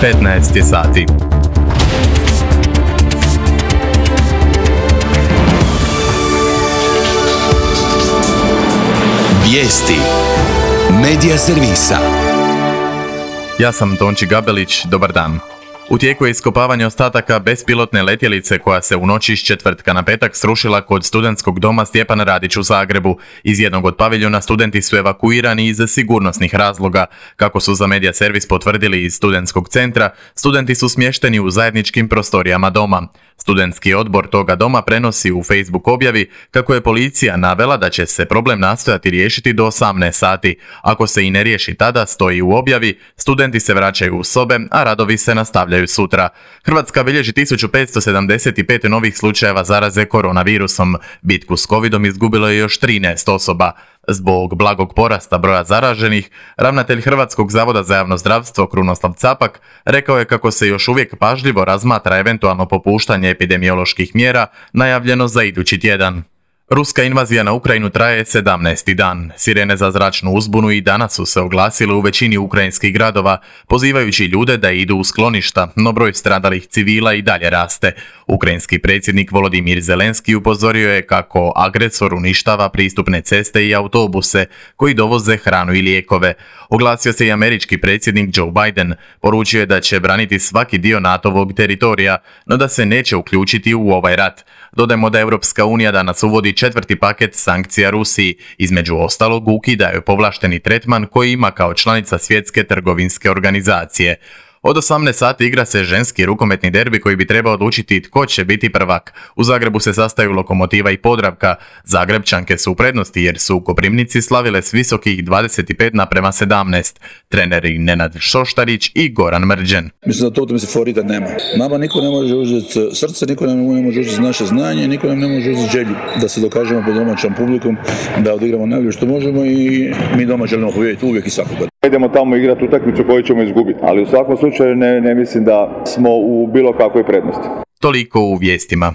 15 sati. Vijesti Medija servisa. Ja sam Tonči Gabelić, dobar dan. U tijeku je iskopavanje ostataka bespilotne letjelice koja se u noći iz četvrtka na petak srušila kod studentskog doma Stjepan Radić u Zagrebu. Iz jednog od paviljona studenti su evakuirani iz sigurnosnih razloga. Kako su za Medija servis potvrdili iz studentskog centra, studenti su smješteni u zajedničkim prostorijama doma. Studentski odbor toga doma prenosi u Facebook objavi kako je policija navela da će se problem nastojati riješiti do 18 sati. Ako se i ne riješi tada, stoji u objavi, studenti se vraćaju u sobe, a radovi se nastavljaju sutra. Hrvatska bilježi 1575 novih slučajeva zaraze koronavirusom. Bitku s covidom izgubilo je još 13 osoba. Zbog blagog porasta broja zaraženih, ravnatelj Hrvatskog zavoda za javno zdravstvo Krunoslav Capak rekao je kako se još uvijek pažljivo razmatra eventualno popuštanje epidemioloških mjera najavljeno za idući tjedan. Ruska invazija na Ukrajinu traje 17. dan. Sirene za zračnu uzbunu i danas su se oglasile u većini ukrajinskih gradova, pozivajući ljude da idu u skloništa, no broj stradalih civila i dalje raste. Ukrajinski predsjednik Volodimir Zelenski upozorio je kako agresor uništava pristupne ceste i autobuse koji dovoze hranu i lijekove. Oglasio se i američki predsjednik Joe Biden. Poručio je da će braniti svaki dio NATO-vog teritorija, no da se neće uključiti u ovaj rat. Dodajmo da Europska unija danas uvodi 4. paket sankcija Rusiji. Između ostalog ukidaju povlašteni tretman koji ima kao članica Svjetske trgovinske organizacije. Od 18 sati igra se ženski rukometni derbi koji bi trebao odlučiti tko će biti prvak. U Zagrebu se sastaju Lokomotiva i Podravka. Zagrebčanke su u prednosti jer su u Koprivnici slavile s visokih 25:17. Treneri Nenad Šoštarić i Goran Mrđen. Mislim da to u favorita nema. Nama niko ne može uzeti srce, niko ne može uzeti naše znanje, niko nam ne može uzeti želju da se dokažemo pred domaćom publikom, da odigramo najbolje što možemo i mi doma želimo pobijediti uvijek i svakog. Idemo tamo igrati utakmicu koju ćemo izgubiti, ali u svakom slučaju ne mislim da smo u bilo kakvoj prednosti. Toliko u vijestima.